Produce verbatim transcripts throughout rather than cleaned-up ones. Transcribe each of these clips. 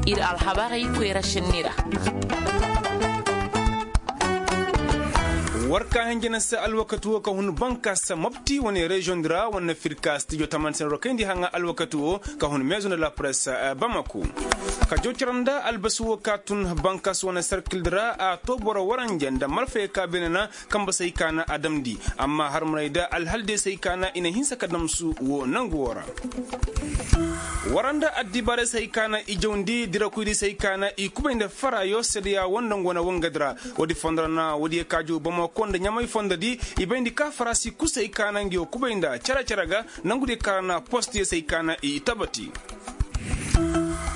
Ir alhabarey koyra šenni ra. War ka hinja na se alwakati wo ka hun bankaasa mopti wane reziyoŋ di ra wane firka stijo taman sen rokayndi haŋa alwakati wo ka hun meezo nda la press bamako. Ka jow cere nda albasi wo ka tun bankaasa wane serkil di ra a to boro waranja nda malfayey ka beene na kamba se hay ka na a damndi. Amma harmarey da alhaldey se hay ka na i na hinsa ka damsu wo nangu wo ra. Wara nda addibaarey se hay ka na i jawndi dirakoydi se hay ka na i kubay nda faraayo seedeya wo nda nga wane wangadi ra. Woodi fondo ra na woodiyo ka jaw bamako nda ɲamay fondo di i bayndi ka faraasi kul se hay ka na nga yo kubay nda cere cere ga nangudiyo ka ra na postiyo se hay ka na i tabati.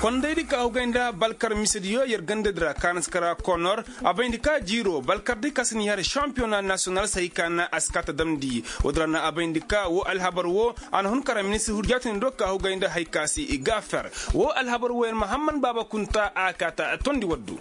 Kondaydi ka hugay nda balkar misediyo yer gandadi ra ka na si kara konor. A bayndi ka jiiro balkardi ka si ni har šampiyona nasiyonal se hay ka na a si kaa ta damndi. Woodi ra na a bayndi ka woo alhabar woo a na hun kara ministir hurjaatindi do ka hugay nda hay ka se i gaafer. Woo alhabar woo yer ma hamman baaba kunta a kaa ta tondi waddu.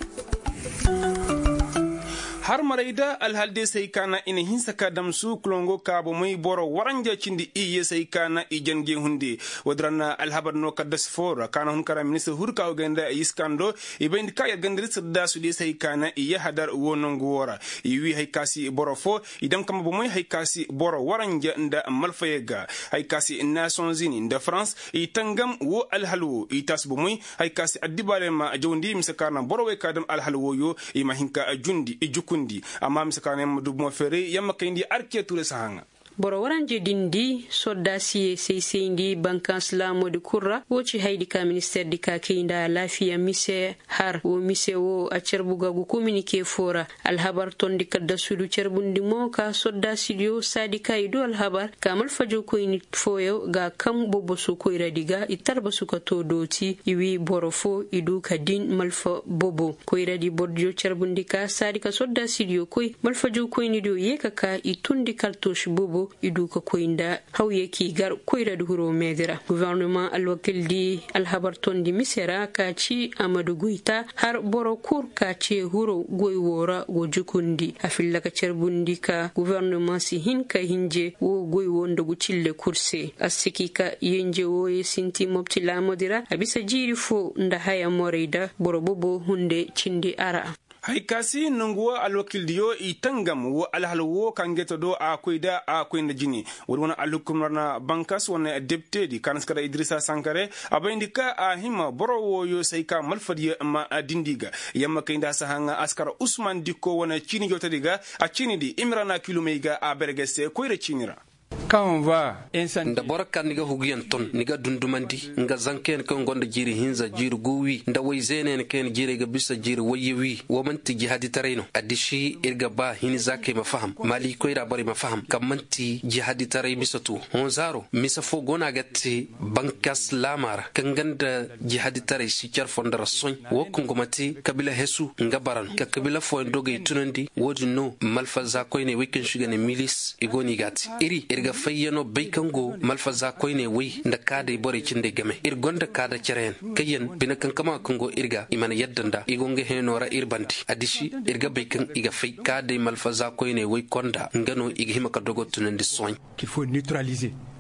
Harmarey da alhaldiyo se hay ka na i na hinsa ka damsu kulongo ka bomey boro waranja cindi iyye se hay ka na i jange hunde. Woodi ra na alhabar no kaddasi foo ra ka na hun kara ministir huru ka hugay nda yiskando. I bayndi ka yer gandari sirdaasudiyo se hay ka na i yahadar woo nongu woo ra. I wii hay ka se boro foo i dam kamba bomey hay ka se boro waranja nda malfayey ga. Hay ka se nasiyonzini nda farans i tangam woo alhal woo i taasi bomey. Hay ka se addibaarey ma jawndi mise ka na borowey ka dam alhal wooyo i ma hin ka jundi i jukundi. Amma mise ka na yer ma du bomo feeray yer ma kayndi arke tuuray si haŋa. Boro waranja dindi sordaasiyey saysayndi bankaas laamoodi kul ra woo ci hayadi ka ministeerdi ka kay nda alaafiya mise har woo mise woo a carbu ga gu kominike foo ra. Alhabar tondi kaddasudu carbundi mo ka sordaasidiyo saadi ka i du alhabar ka malfajawkoyni fooyaŋ ga kaŋ boboso koyradi ga i tarbasu ka too dooti i wii boro foo i du ka din malfa bobo koyradi bordiyo carbundi ka saadi ka sordaasidiyo koy malfajawkoynidiyo yee ka kaa i tundi kartoš bobo i du ka koy nda hawya k'i gar koyradi huroo meedi ra gofornoma alwakildi alhabar tondi mise ra ka ci amadu goyta har boro kul ka cee huroo goy woo ra go jukundi a filla ka carbundi ka gofornoma si hin ka hinje woo goy woo nda gu cille kul se a si k'i ka yenje wooyey sinti mopti laamoodi ra a bisa jiiri foo nda haya morey da boro bobo hunde cindi a ra. Hay ka se nongu woo alwakildiyo i tangam woo alhal woo ka nge ta do a koy da a koy nda jine. Woodi wane alhukum ra na bankas wane deptedi ka na si kara idirisa sankare a bayndi ka a hima boro wooyo se hay ka malfadiyo ma dindi ga. Yamma kay nda a si haŋa a si kara usman dikko wane ciini jawtadi ga a ciinidi imira na kilumey ga a berge se koyra ciini ra. Nda boro kaŋ ni ga huguyaŋ ton ni ga dundumandi nga zankayaŋ kaŋ gonda jiiri hinza jiiri gu wi nda way zeenayaŋ kaŋ yaŋ jiirey ga bisa jiiri wayye wi wo man'ti jihaaditaray no addiši ir ga ba hini zaakey ma faham maali koyra borey ma faham kaŋ man'ti jihaaditaray mise tu honzaaro mise foo go no a ga te bankas laama ra kaŋ ga nda jihaaditaray si care fondo ra soy wo kaŋ go ma te kabila hesu nga bara no ka kabila fooyaŋ dogey tunandi wo-din no malfazza koyney wey kaŋ se i ga ne milis i go no i g'a te iri ir ga fayyano bay kaŋ go malfazza koyney wey nda kaadey borey cindey game ir gonda kaada cereyaŋ kaŋ yaŋ bine kankama kaŋ go ir ga i mana yadda nda i go nga heeno ra ir bande addiši ir ga bay kaŋ i ga fay kaadey malfazza koyney wey konda nga no i ga hima ka dogo tunandi sohãy.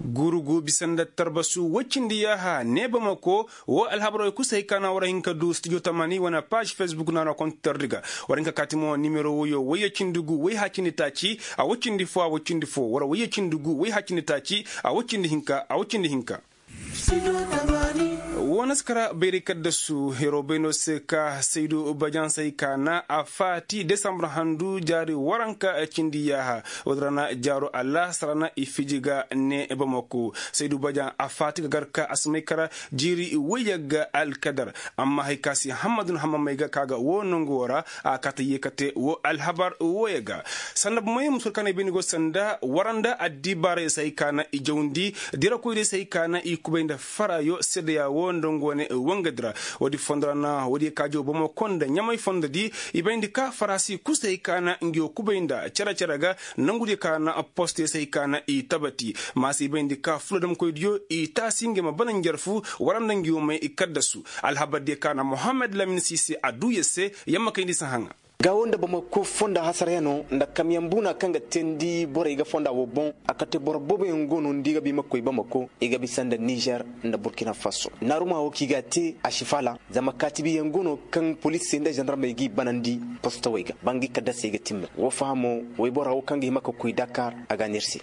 Gurugu bisa nda tarbasu woy cindi yaaha ne bamako wo alhabaroo kul se hay ka na war hin ka du studio tamani wane paaž fesbuk naanoo kontitardi ga. War hin ka kaati mo nimero woyo woyye cindi gu woy hacindi taaci a woy cindi foo a woy cindi foo war woyye cindi gu woy hacindi taaci a woy cindi hinka a woy cindi hinka. Wo na si kara bayray kaddasu heroo bay no se ka saydu bajaŋ se hay ka na a faati desambur handu jaari waranka cindi yaaha. Woodi ra na jaaro alaahasara na i fiji ga ne bamako saydu bajaŋ a faati ga gar ka a si may kara jiiri woyye ga alkadar. Amma hay ka se hammadun hammamey ga ka ga wo nongu wo ra a kaata yee ka te wo alhabar woyye ga. Sanda bomey musu war ka na i bayndi go sanda war nda addibaarey se hay ka na i jawndi dirakoydiyo se hay ka na i kubay nda faraayo seedeya wo nda nga wane wangadi ra. Woodi fondo ra na woodiyo ka jaw bamako nda ɲamay fondodi i bayndi ka faraasi kul se hay ka na ngiyo kubay nda cere-cere ga. Nongudiyo ka na postiyo se hay ka na i tabati maasa i bayndi ka fuladamkoydiyo i taasi ngey ma bana njarfu war nda ngiyo may i kaddasu. Alhabardiyo ka na mohammed lamin siise a duu yer se yamma kayndi si haŋa. Gaawo nda bamako fonda hasarayano nda kamyaŋ buuna kaŋ ga teendi borey ga fonda wo boŋ. A kate boro booboyaŋ go no nda i ga ba i ma koy bamako, i ga bisa nda nizer nda burkina faso. Naaruma wo kaŋ i ga a te a si faala, zama kaatibiyaŋ go no kaŋ poliisey nda zandarmey g'i banandi postowey ga, ba ngi kaddasey ga timber wo fahamo. Woybora wo kaŋ ga hima ka koy dakar, a ga a neera se.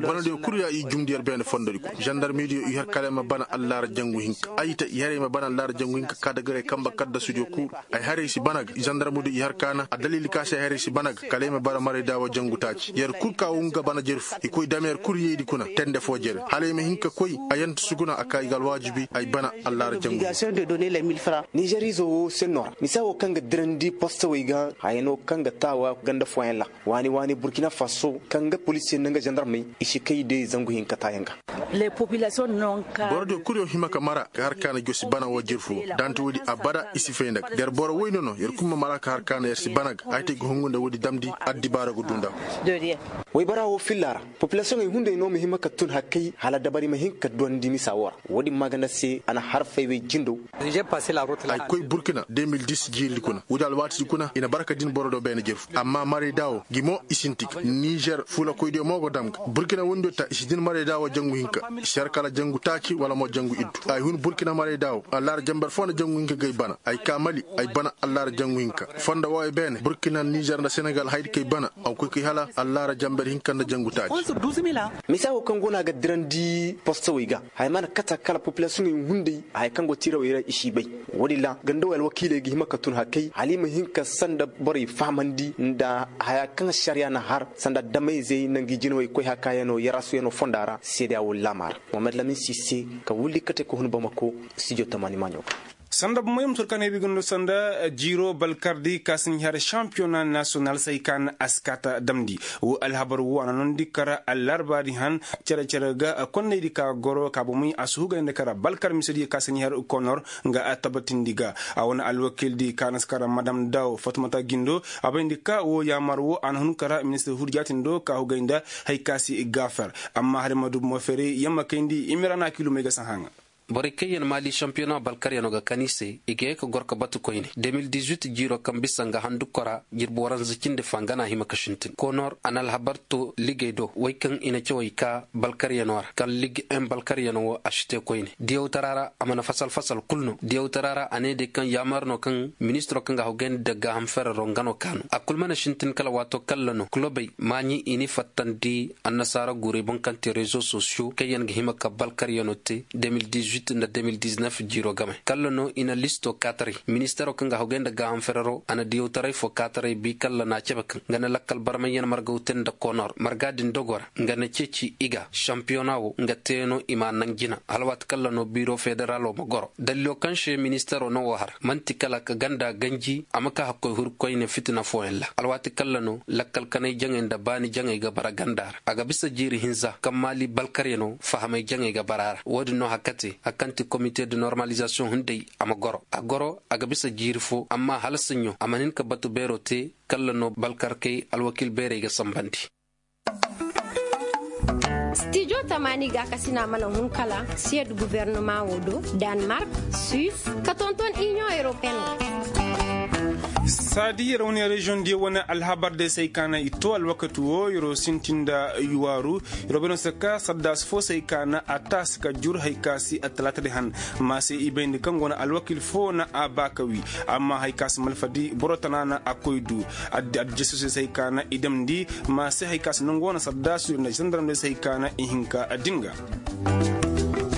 Bana diyo kulu ya i jumndi yer beene fondodi kuna zandarmey diyo i har kala ay ma bana allaara jangu hinka ay ta i har ay ma bana allaara jangu hinka ka dagarey kamba kadda sudiyo kulu. Ay har ay si bana ga zandarmey diyo i har kaana a daliili ka se ay har ay si bana ga kala ay ma bara maray daawa jangu taaci yer kulu ka wo nga bana jere fu i koy dam yer kulu yeydi kuna tende foo jere hala ay ma hin ka koy. A yanta suguna a ka i ga alwaajibi ay bana allaara jangu. Nizer izo wo senno ra misa wo kaŋ ga dirandi postowey ga haya no kaŋ ga taawa ganda fooyaŋ ra. Waani waani burkina faso kaŋ ga poliisiyaŋ nda nga zandarmey i si kay day zangu hinka taayaŋ ga. Boro diyo kulu yaŋ hima ka mara ka har kaana josi bana wo jirfu da nta woodi abada i si fay nda ga der boro woyne no yer kulu ma mara ka har kaana yer si bana ga ay te ga hungu nda woodi damndi. Addibaara ga du nda. Woybara wo filla ra, populasiyoŋey hunday no ma hima ka tun hakkay hala dabari ma hin ka duwandi misa wo ra. Woodin maaganda se a na har fay wey jindo. Ay koy burkina de mil dis jiiri kuna woodi alwaatidi kuna i na barka din boro do beene jirfu amma maray daawo gi mo i sinti ga nizer fuulakoydiyo mo go dam ga burkina wundiyo ta i si din maray daawo jangu hinka. I si har kala jangu taaci wala mo jangu iddu ay hun burkina maray daawo allaara jamber foo na jangu hinka ga ay bana ay ka mali ay bana allaara jangu hinka. Fonda wo ay beene burkina nizer nda senegal haydi kay bana a ga koy kay hala allaara jamber hinka nda jangu taaci. Misa wo kaŋ go no a ga dirandi postowey ga haya mana kata kala populasiyoŋey hunday haya kaŋ go tiirawey ra i si bay. Woodin ra ganda wo alwakiiley ga hima ka tun hakkay hala i ma hin ka sanda borey fahamandi nda haya kaŋ ašariya na har sanda damayzey nda ngi jinawey koy hakayano yarasuyano fonda ra seedeya wo laama ra. Mohamed lamin si se ka wulli kate ka hun bamako. Studio tamaani maaɲo ga. Sanda bomey ma tur ka ne bi ga no sanda jiiro balkardi ka si ni har šampiyona nasiyonal se ay ka na a si kaata damndi. Wo alhabar wo a na noondi kara allarbaadi han cere-cere ga konnaydi ka goro ka bomey a si hugayndi kara balkar misediyo ka si ni har konor. Nga a tabatindi ga a wane alwakiildi ka na si kara madam daw fatumata gindo a bayndi ka wo yaamar wo a na hun kara ministir hurjaatin do ka hugay nda hay ka si gaafer. Amma hala ma du bomo feeray yamma kayndi imira na kiilumey ga si haŋa. Borey kaŋ yaŋ maali šampiyona balkaryaŋo ga kan i se i ga ye ka goro ka batu koyne de mil dizuit jiiro kaŋ bisa nga handu kora jirbi waranza cindi fa nga na a hima ka sintin konor a na alhabar to ligey do wey kaŋ i na cawey ka balkaryaŋo ra kaŋ lig en balkaryaŋo wo a si te koyne diyawtara ra a mana fasal fasal kulu no diyawtara ra a ne day kaŋ yaamar no kaŋ ministiro kaŋ ga hawgayndi dagga ham ferero nga no kaanu a kulu mana sintin kala waato kalla no kulobey maaɲi i n'i fattandi annasaara guurey boŋ kaŋ te rezo sosiyo kaŋ yaŋ ga hima ka balkaryaŋo te de mil dizuit nda de mil diznef jiiro game kalla no i na listo kaataray ministero kaŋ ga hawgay nda gaaham ferero a na diyawtaray fo kaataray bi kalla na a cebe kaŋ nga na lakkal barmayyaŋ margaw te nda konor marga din dogo ra nga na ceeci i ga šampiyona wo nga te no i ma a naŋ jina hala waati kalla no biiro federalo ma goro daliilo kaŋ se ministero no wo har man'ti kala ka ganda ganji a ma ka hakkoy huru koyne fitina fooyaŋ ra alwaati kalla no lakkal kanay jaŋay nda baani jaŋay ga bara ganda ra a ga bisa jiiri hinza kaŋ maali balkaryaŋo fahamay jaŋay ga bara a ra wo-din no hari kaŋ te hari kaŋ ti komite de normalizasiyoŋ hunday a ma goro a goro a ga bisa jiiri fo amma hala saɲɲo a mana hin ka batu beero te kalla no balkarkey alwakiil beerey ga sanbandi. Stijo tamaani gaakasina mana hun kala siyed guvernema wo do, danmark, suis, ka tonton inion europeen wo. Saadi yer wane reziyoŋ diyo wane alhabar day se ay kaana i to alwakati wo yer'o sinti nda yuwaaru. Yer'o bay no se ka saddaasi fo se ay kaana a taasi ka jur hay ka si attalaata day han. Ma se i bayndi kaŋ go no alwakil fo na a ba ka wi. Amma hay ka si malfadi boro tana na a koy du. Addi addi jesusi se hay ka na i damndi. Ma se hay ka si nangu wane saddaasu nda zandarmey se hay ka na i hinka din ga.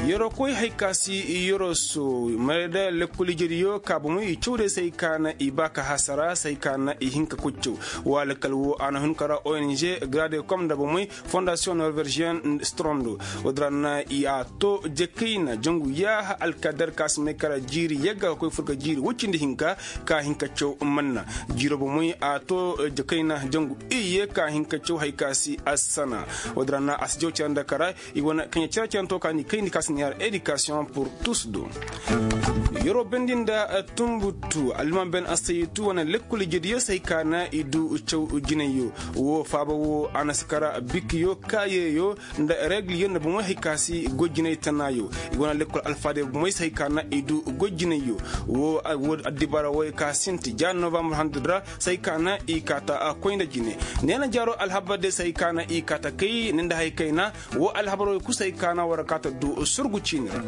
Yer'o koy hay ka si yer'o so marayda lekkol ijediyo ka bomo i cawday se hay ka na i ba ka hasara se hay ka na i hinka koy caw. Wa lakkal wo a na hun ka ra ong grade kom nda bomey fondasiyoŋ norvegien strondo. Wo-din ra na i a to jakayna jangu yaaha alkadar ka si may kara jiiri yagga ka koy fur ga jiiri woy cindi hinka ka hin ka caw manna. Jiiro bomey a to jakayna jangu iyye ka hin ka caw hay ka si assana. Wo-din ra na a si jaw care nda kara i wane kaɲe care care to ka ni kayndi ka si. Edikasiyoŋ pur tus do. Yeroo bendi nda tunbutu alliman ben asayitu wane lekkol ijediyo se hay ka na i du caw jinayyo. Woo faaba woo a na si kara bikiyo kaayeyo nda regliyo nda bomey hay ka si goy jinay tanaayo. I wane lekkol alfaadey bomey se hay ka na i du goy jinayyo. Woo addibaara wooyo ka sinti ja novambar handu ra se hay ka na i kaata koy nda jine. Neena jaaroo alhabar de se hay ka na i kaata kay ni nda hay kayna. Woo alhabar wooyo kul se hay ka na war kaata du surgu ciini ra.